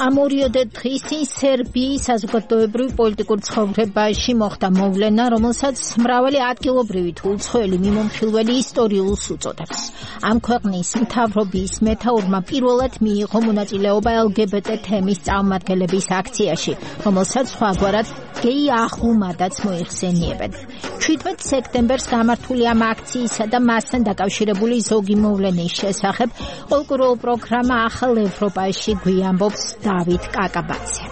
ამორიოდე დღის წინ სერბიის საზოგადოებრივ პოლიტიკურ ცხოვრებაში მოხდა მოვლენა, რომელსაც მრავალი ადგილობრივი თუ უცხოელი მიმომხილველი ისტორიულს უწოდებს. ამ ქვეყნის მთავრობის მეთაურმა პირველად მიიღო მონაწილეობა LGBT თემის წარმომადგენლების აქციაში, რომელსაც სხვაგვარად გეი აღლუმადაც მოიხსენიებენ. 17 სექტემბერს გამართული ამ აქციისა და მასთან დაკავშირებული ზოგი მოვლენის შესახებ კულტურულ პროგრამა ახალ ევროპაში გვიამბობს დავით კაკაბაძე.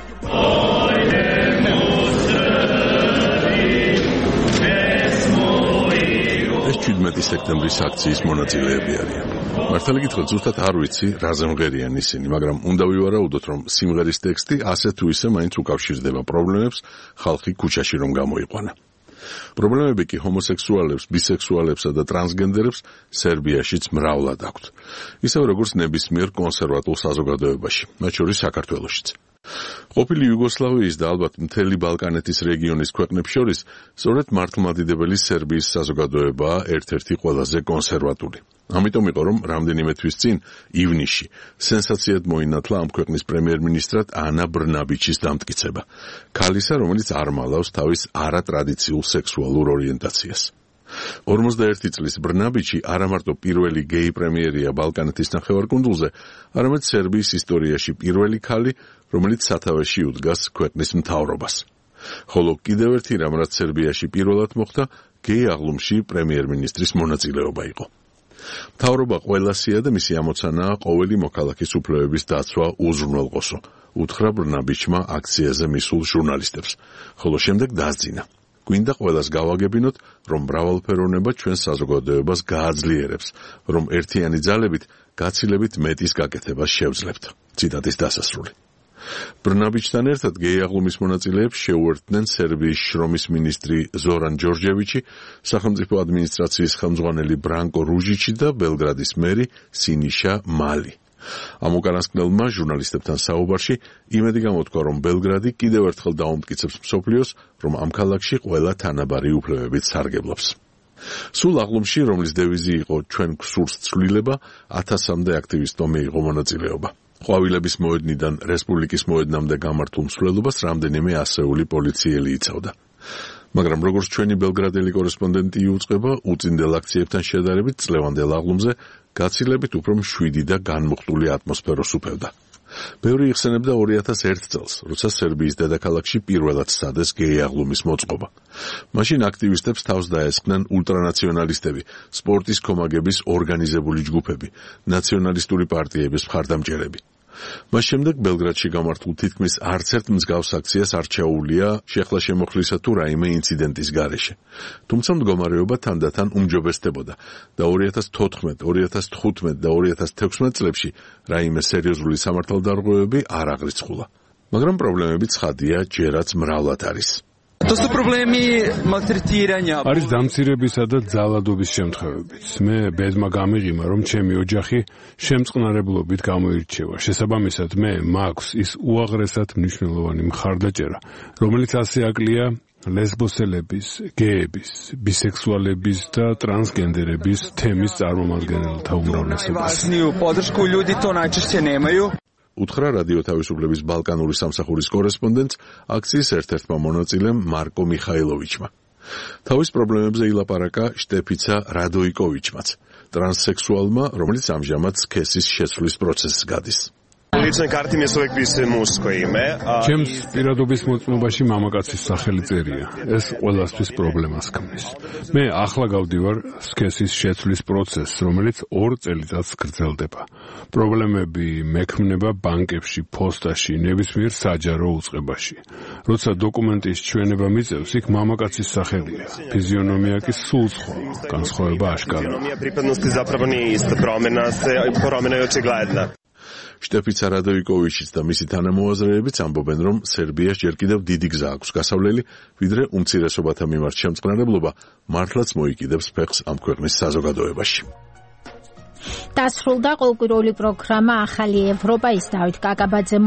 ეს 17 სექტემბრის აქციის მონაწილეები არიან. მართალი გითხრათ, ზუსტად არ ვიცი, რაზე მღერიან ისინი, მაგრამ უნდა ვივარაუდოთ, რომ სიმღერის ტექსტი ასე თუ ისე მაინც უკავშირდება პრობლემებს ხალხი ქუჩაში რომ გამოიყვანა. პრობლემები კი ჰომოსექსუალებს, ბისექსუალებსა და ტრანსგენდერებს სერბიაშიც მრავლად აქვთ. ისევ როგორც ნებისმიერ კონსერვატულ საზოგადოებაში, მათ შორის საქართველოშიც. ყოფილი იუგოსლავიის და ალბათ მთელი ბალკანეთის რეგიონის ქვეყნებს შორის სწორედ მართლმადიდებელი სერბიის საზოგადოებაა ერთ-ერთი ყველაზე კონსერვატული. ამიტომ იყო, რომ რამდენიმე თვის წინ, ივნისში, სენსაციად მოინათლა ამ ქვეყნის პრემიერ-მინისტრად ანა ბრნაბიჩის დამტკიცება. ქალისა, რომელიც არ მალავს თავის არატრადიციულ სექსუალურ ორიენტაციას. 41 წლის ბრნაბიჩი არამარტო პირველი გეი პრემიერია ბალკანეთის ნახევარკუნძულზე, არამედ სერბიის ისტორიაში პირველი ქალი, რომელიც სათავეში უდგას ქვეყნის მთავრობას. ხოლო კიდევ ერთი რამ, რაც სერბიაში პირველად მოხდა, გეი აღლუმში პრემიერ-მინისტრის მონაწილეობა იყო. მთავრობა ყველასია და მისი ამოცანაა ყოველი მოქალაქის უფლებების დაცვა უზრუნველყოსო, უთხრა ბრნაბიჩმა აქციაზე მისულ ჟურნალისტებს, ხოლო შემდეგ დასძინა. გვინდა ყველას გავაგებინოთ, რომ მრავალფეროვნება ჩვენს საზოგადოებას გააძლიერებს, რომ ერთიანი ძალებით გაცილებით მეტის გაკეთებას შევძლებთ. ციტატის დასასრული. ბრნაბიჩთან ერთად გეი აღლუმის მონაწილეებს შეუერთდნენ სერბიის შრომის მინისტრი ზორან ჯორჯევიჩი, სახელმწიფო ადმინისტრაციის ხელმძღვანელი ბრანკო რუჟიჩი და ბელგრადის მერი სინიშა მალი. ამ უკანასკნელმა ჟურნალისტებთან საუბარში იმედი გამოთქვა, რომ ბელგრადი კიდევ ერთხელ დაუმტკიცებს მსოფლიოს, რომ ამ ქალაქში ყველა თანაბარი უფლებებით სარგებლობს. სულ აღლუმში, რომლის დევიზი იყო ჩვენ გვსურს ცვლილება, 1000-მდე აქტივისტმა მიიღო მონაწილეობა. ყვავილების მოედნიდან რესპუბლიკის მოედნამდე გამართულ მსვლელობას რამდენიმე ასეული პოლიციელი იცავდა. მაგრამ როგორც ჩვენი ბელგრადელი კორესპონდენტი იუწყება, უწინდელ აქციებთან შედარებით წლევანდელ აღლუმზე გაცილებით უფრო მშვიდი და განმუხტული ატმოსფეროს უფევდა. ბევრი იხსენებდა 2001 წელს, როცა სერბიის დედაქალაქში პირველად სცადეს გეი აღლუმის მოწყობა. მაშინ აქტივისტებს თავს დაესხნენ ულტრანაციონალისტები, სპორტის კომაგების ორგანიზებული ჯგუფები, ნაციონალისტური პარტიების მხარდამჭერები. მას შემდეგ ბელგრადში გამართულ თითქმის არც ერთ მსგავს აქციას არ ჩაუვლია შეხლა შემოხლისა თუ რაიმე ინციდენტის გარეშე. თუმცა მდგომარეობა თანდათან უმჯობესდებოდა და 2014, 2015 და 2016 წლებში რაიმე სერიოზული სამართალდარღვევები არ აღრიცხულა. მაგრამ პრობლემები ცხადია, ჯერაც მრავლად არის. არის დამცირებისა და ძალადობის შემთხვევებიც. მე ბედმა გამიღიმა, რომ ჩემი ოჯახი შემწყნარებლობით გამოირჩევა. შესაბამისად, მე მაქვს ის უაღრესად მნიშვნელოვანი მხარდაჭერა, რომელიც ასე აკლია ლესბოსელების, გეების, ბისექსუალების და ტრანსგენდერების თემის წარმომადგენელთა უმრავლესობას. უთხრა რადიო თავისუფლების ბალკანური სამსახურის კორესპონდენტს აქციის ერთ-ერთმა მონაწილემ მარკო მიხაილოვიჩმა. თავის პრობლემებზე ილაპარაკა შტეფიცა რადოიკოვიჩმაც, ტრანსსექსუალმა, რომელიც ამჟამად სქესის შეცვლის პროცესს გადის. ჩემს პირადობის მოწმობაში მამაკაცის სახელი წერია. ეს ყველასთვის პრობლემას ქმნის. მე ახლა გავდივარ სქესის შეცვლის პროცესს, რომელიც 2 წელიწადს გრძელდება. პრობლემები მექმნება ბანკებში, ფოსტაში, ნებისმიერ საჯარო უწყებაში. როცა დოკუმენტის ჩვენება მიწევს, იქ მამაკაცის სახელია. ფიზიონომია კი სულ სხვა. განსხვავება აშკარაა. შტეფიცა რადოიკოვიჩიც და მისი თანამოაზრეებიც ამბობენ, რომ სერბიას ჯერ კიდევ დიდი გზა აქვს გასავლელი, ვიდრე უმცირესობათა მიმართ შემწყნარებლობა მართლაც მოიკიდებს ფეხს ამ ქვეყნის საზოგადოებაში. დასრულდა კულტურული პროგრამა ახალი ევროპა, ის დავით კაკაბაძე